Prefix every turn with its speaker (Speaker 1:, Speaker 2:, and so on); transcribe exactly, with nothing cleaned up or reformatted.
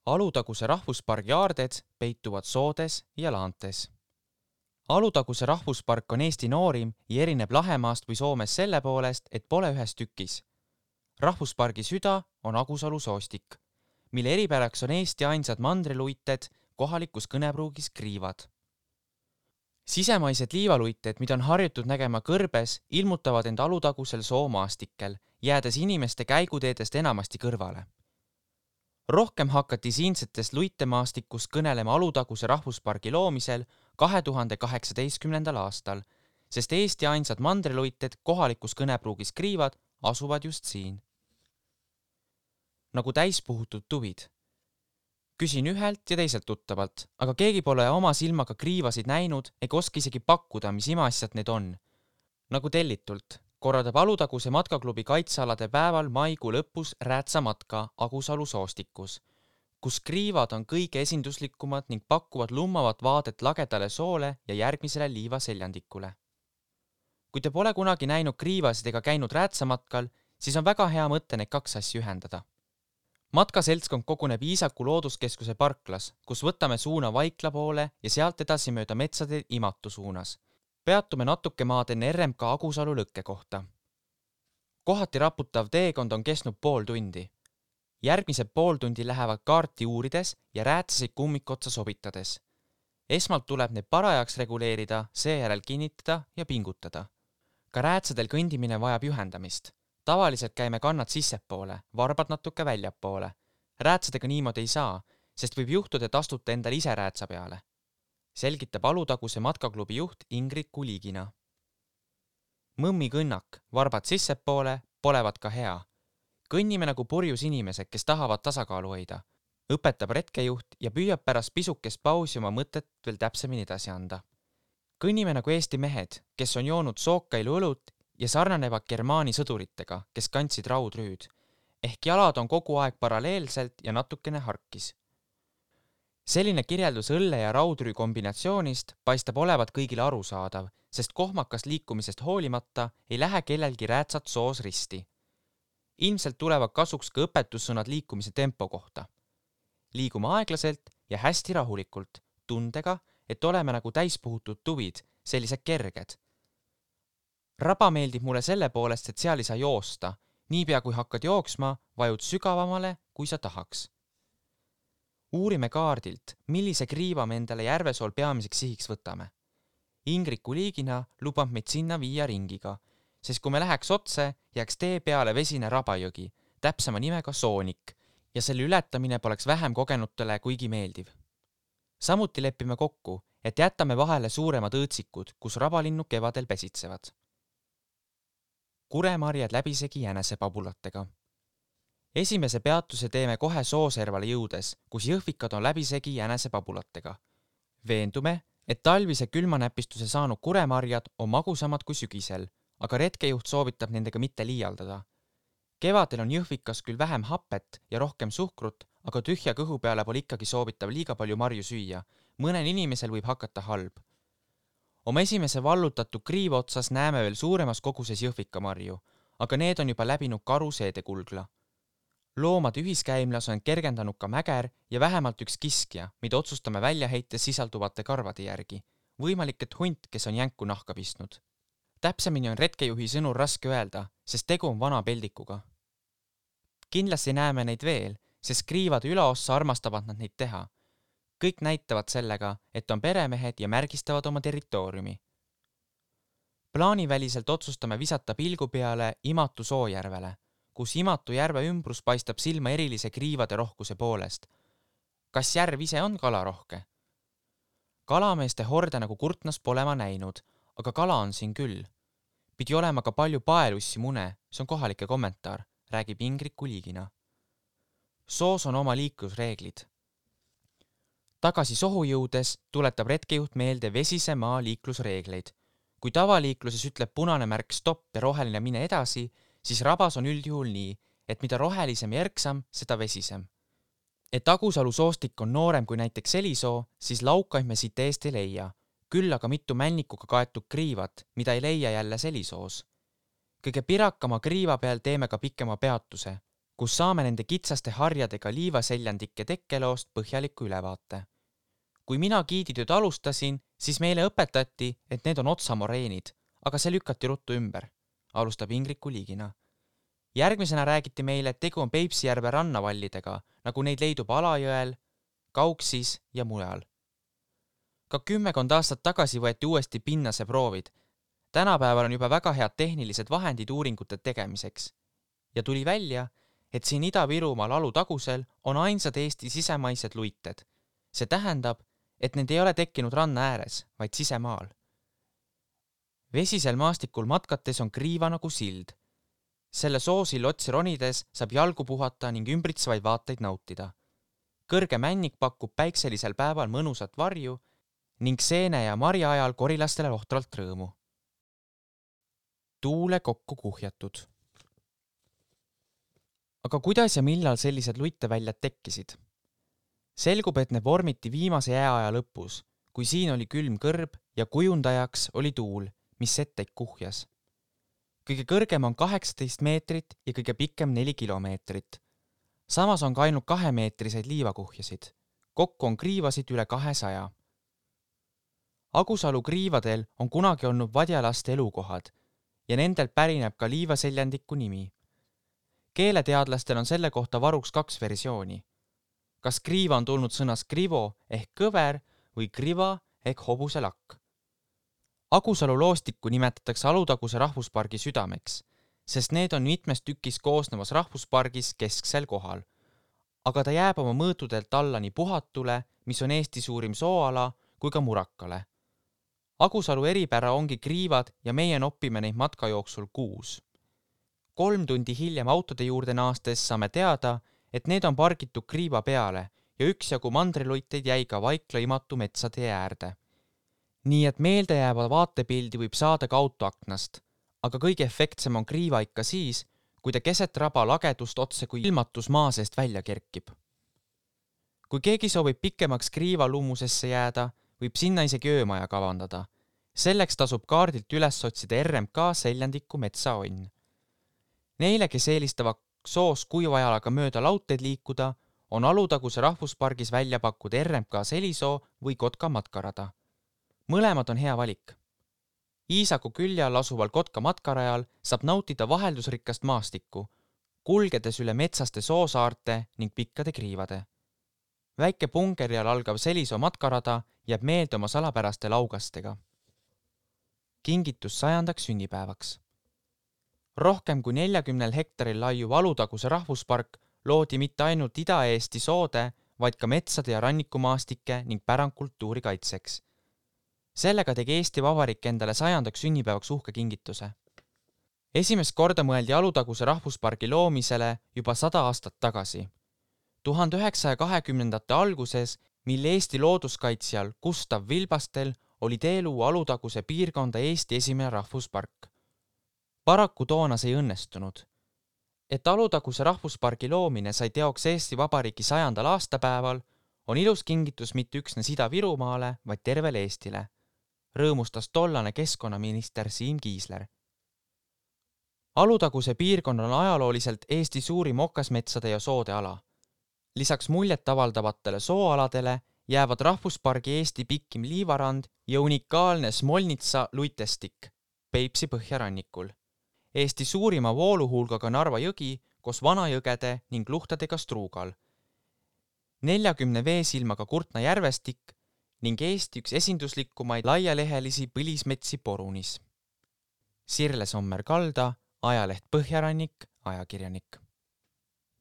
Speaker 1: Alutaguse rahvuspargi aarded peituvad soodes ja laantes. Alutaguse rahvuspark on Eesti noorim ja erineb Lahemaast või Soomes selle poolest, et pole ühes tükis. Rahvuspargi süda on Agusalu soostik, mille eripäraks on Eesti ainsad mandriluited kohalikus kõnepruugis kriivad. Sisemaised liivaluited, mida on harjutud nägema kõrbes, ilmutavad end Alutagusel soomaastikel, jäädes inimeste käiguteedest enamasti kõrvale. Rohkem hakati siinsetest luitemaastikust kõnelema Alutaguse rahvuspargi loomisel kahe tuhande kaheksateistkümnendal aastal, sest Eesti ainsad mandriluited kohalikus kõnepruugis kriivad asuvad just siin. Nagu täispuhutud tuvid. Küsin ühelt ja teiselt tuttavalt, aga keegi pole oma silmaga kriivasid näinud ega oska isegi pakkuda, mis imeasjad need on. Nagu tellitult korraldab Alutaguse matkaklubi kaitsealade päeval maikuu lõpus räätsamatka Agusalu soostikus, kus kriivad on kõige esinduslikumad ning pakuvad lummavat vaadet lagedale soole ja järgmisele liivaseljandikule. Kui te pole kunagi näinud kriivasid ega käinud räätsamatkal, siis on väga hea mõte need kaks asja ühendada. Matkaseltskond koguneb Iisaku looduskeskuse parklas, kus võtame suuna Vaikla poole ja sealt edasi mööda metsade Imatu suunas. Peatume natuke maad enne R M K Agusalu lõkke kohta. Kohati raputav teekond on kestnud pool tundi. Järgmised pool tundi lähevad kaarti uurides ja räätsasid kummikotsa sobitades. Esmalt tuleb need parajaks reguleerida, seejärel kinnitada ja pingutada. Ka räätsadel kõndimine vajab juhendamist. Tavaliselt käime kannad sissepoole, varbad natuke väljapoole. Räätsadega niimoodi ei saa, sest võib juhtuda, et astute endal ise räätsa peale. Selgitab Alutaguse matkaklubi juht Ingrid Kuligina. Mõmmi kõnnak, varbad sissepoole, polevad ka hea. Kõnnime nagu purjus inimesed, kes tahavad tasakaalu hoida. Õpetab retkejuht ja püüab pärast pisukest pausi oma mõtet veel täpsemini edasi anda. Kõnnime nagu Eesti mehed, kes on joonud sookailu õlut ja sarnanevad Germaani sõduritega, kes kandsid raudrüüd, ehk jalad on kogu aeg paralleelselt ja natukene harkis. Selline kirjeldus õlle ja raudrüü kombinatsioonist paistab olevat kõigile arusaadav, sest kohmakas liikumisest hoolimata ei lähe kellelgi räätsat soos risti. Ilmselt tulevad kasuks ka õpetussõnad liikumise tempo kohta. Liigume aeglaselt ja hästi rahulikult, tundega, et oleme nagu täispuhutud tuvid, sellised kerged. Raba meeldib mulle selle poolest, et seal ei saa joosta. Niipea kui hakkad jooksma, vajud sügavamale, kui sa tahaks. Uurime kaardilt, millise kriiva me endale Järvesool peamiseks sihiks võtame. Ingrid Kuligina lubab meid sinna viia ringiga, sest kui me läheks otse, jääks tee peale vesine rabajõgi, täpsema nimega Soonik, ja selle ületamine poleks vähem kogenutele kuigi meeldiv. Samuti lepime kokku, et jätame vahele suuremad õõtsikud, kus rabalinnud kevadel pesitsevad. Kuremarjad läbisegi jänesepabulatega. Esimese peatuse teeme kohe Sooservale jõudes, kus jõhvikad on läbisegi jänesepabulatega. Veendume, et talvise külmanäpistuse saanud kuremarjad on magusamad kui sügisel, aga retkejuht soovitab nendega mitte liialdada. Kevadel on jõhvikas küll vähem hapet ja rohkem suhkrut, aga tühja kõhu peale pole ikkagi soovitav liiga palju marju süüa. Mõnel inimesel võib hakata halb. Oma esimese vallutatud kriiva otsas näeme veel suuremas koguses jõhvikamarju, aga need on juba läbinud karu seedekulgla. Loomade ühiskäimlas on kergendanud ka mäger ja vähemalt üks kiskja, mida otsustame välja heites sisalduvate karvade järgi. Võimalik, et hunt, kes on jänku nahka pistnud. Täpsemini on retkejuhi sõnul raske öelda, sest tegu on vana peldikuga. Kindlasti näeme neid veel, sest kriivade ülaossa armastavad nad neid teha. Kõik näitavad sellega, et on peremehed ja märgistavad oma territooriumi. Plaaniväliselt otsustame visata pilgu peale Imatu Soojärvele, kus Imatu järve ümbrus paistab silma erilise kriivade rohkuse poolest. Kas järv ise on kalarohke? Kalameeste horde nagu Kurtnas pole ma näinud, aga kala on siin küll. Pidi olema ka palju paelussi mune, see on kohalike kommentaar, räägib Ingrid Kuligina. Soos on oma liiklusreeglid. Tagasi sohu jõudes tuletab retkejuht meelde vesise maa liiklusreegleid. Kui tavaliikluses ütleb punane märk stopp ja roheline mine edasi, siis rabas on üldjuhul nii, et mida rohelisem ja erksam, seda vesisem. Et Agusalu soostik on noorem kui näiteks Selisoo, siis laukaid me siit eest ei leia, küll aga mitu männikuga kaetud kriivat, mida ei leia jälle Selisoos. Kõige pirakama kriiva peal teeme ka pikema peatuse, kus saame nende kitsaste harjadega liivaseljandike tekkeloost põhjaliku ülevaate. Kui mina giiditööd alustasin, siis meile õpetati, et need on otsamoreenid, aga see lükati ruttu ümber, alustab Ingrid Kuligina. Järgmisena räägiti meile, et tegu on Peipsijärve rannavallidega, nagu neid leidub Alajõel, Kauksis ja mujal. Ka kümmekond aastat tagasi võeti uuesti pinnase proovid. Tänapäeval on juba väga head tehnilised vahendid uuringute tegemiseks. Ja tuli välja, et siin Ida-Virumaal Alutagusel on ainsad Eesti sisemaised luited. See tähendab, et need ei ole tekkinud ranna ääres, vaid sisemaal. Vesisel maastikul matkates on kriiva nagu sild. Selle soosil otsi ronides saab jalgu puhata ning ümbritsevaid vaateid nautida. Kõrge männik pakub päikselisel päeval mõnusat varju ning seene ja marja ajal korilastele ohtralt rõõmu. Tuule kokku kuhjatud. Aga kuidas ja millal sellised luiteväljad tekkisid? Selgub, et need vormiti viimase jääaja lõpus, kui siin oli külm kõrb ja kujundajaks oli tuul, mis setteid kuhjas. Kõige kõrgem on kaheksateist meetrit ja kõige pikem neli kilomeetrit. Samas on ka ainult kahemeetriseid liivakuhjasid. Kokku on kriivasid üle kahesaja. Agusalu kriivadel on kunagi olnud vadjalaste elukohad ja nendelt pärineb ka liivaseljandiku nimi. Keeleteadlastel on selle kohta varuks kaks versiooni. Kas kriiva on tulnud sõnas krivo ehk kõver või kriva ehk hobuse lakk. Agusalu loostikku nimetatakse Alutaguse rahvuspargi südameks, sest need on mitmest tükis koosnevas rahvuspargis kesksel kohal. Aga ta jääb oma mõõtudelt alla nii Puhatule, mis on Eesti suurim sooala, kui ka Murakale. Agusalu eripära ongi kriivad ja meie noppime neid matka jooksul kuus. Kolm tundi hiljem autode juurde naastes saame teada, et need on pargitud kriiva peale ja üksjagu mandriluiteid jäi ka Vaikla imatu metsade äärde. Nii et meeldejääva vaatepildi võib saada ka autoaknast, aga kõige efektsem on kriiva ikka siis, kui ta keset raba lagedust otse kui ilmatus maa seest välja kerkib. Kui keegi soovib pikemaks kriiva lummusesse jääda, võib sinna isegi öömaja kavandada. Selleks tasub kaardilt üles otsida R M K seljandiku metsaonn. Neile, kes eelistavad soos kuivajalaga mööda lautteed liikuda, on Alutaguse rahvuspargis välja pakkuda R M K Selisoo või Kotka matkarada. Mõlemad on hea valik. Iisaku külje all asuval Kotka matkarajal saab nautida vaheldusrikast maastikku, kulgedes üle metsaste soosaarte ning pikkade kriivade. Väike pungeri all algav Selisoo matkarada jääb meelde oma salapäraste laugastega. Kingitus sajandaks sünnipäevaks. Rohkem kui neljakümnel hektaril laiuv Alutaguse rahvuspark loodi mitte ainult Ida-Eesti soode, vaid ka metsade ja rannikumaastike ning pärandkultuuri kaitseks. Sellega tegi Eesti Vabariik endale sajandaks sünnipäevaks uhke kingituse. Esimest korda mõeldi Alutaguse rahvuspargi loomisele juba sada aastat tagasi. tuhande üheksasaja kahekümnendate alguses, mil Eesti looduskaitsjal Gustav Vilbastel oli tee luua Alutaguse piirkonda Eesti esimene rahvuspark. Paraku toona see ei õnnestunud. Et Alutaguse rahvuspargi loomine sai teoks Eesti Vabariigi sajandal aastapäeval, on ilus kingitus mitte üksnes Ida-Virumaale, vaid tervele Eestile. Rõõmustas tollane keskkonnaminister Siim Kiisler. Alutaguse piirkond on ajalooliselt Eesti suurim okasmetsade ja soode ala. Lisaks muljet avaldavatele sooaladele jäävad rahvuspargi Eesti pikkim liivarand ja unikaalne Smolnitsa luitestik Peipsi põhjarannikul. Eesti suurima vooluhulgaga Narva jõgi koos vanajõgede ning luhtadega Struugal. neljakümne veesilmaga Kurtna järvestik ning Eesti üks esinduslikumaid laialehelisi põlismetsi Porunis. Sirle Sommer-Kalda, ajaleht Põhjarannik, ajakirjanik.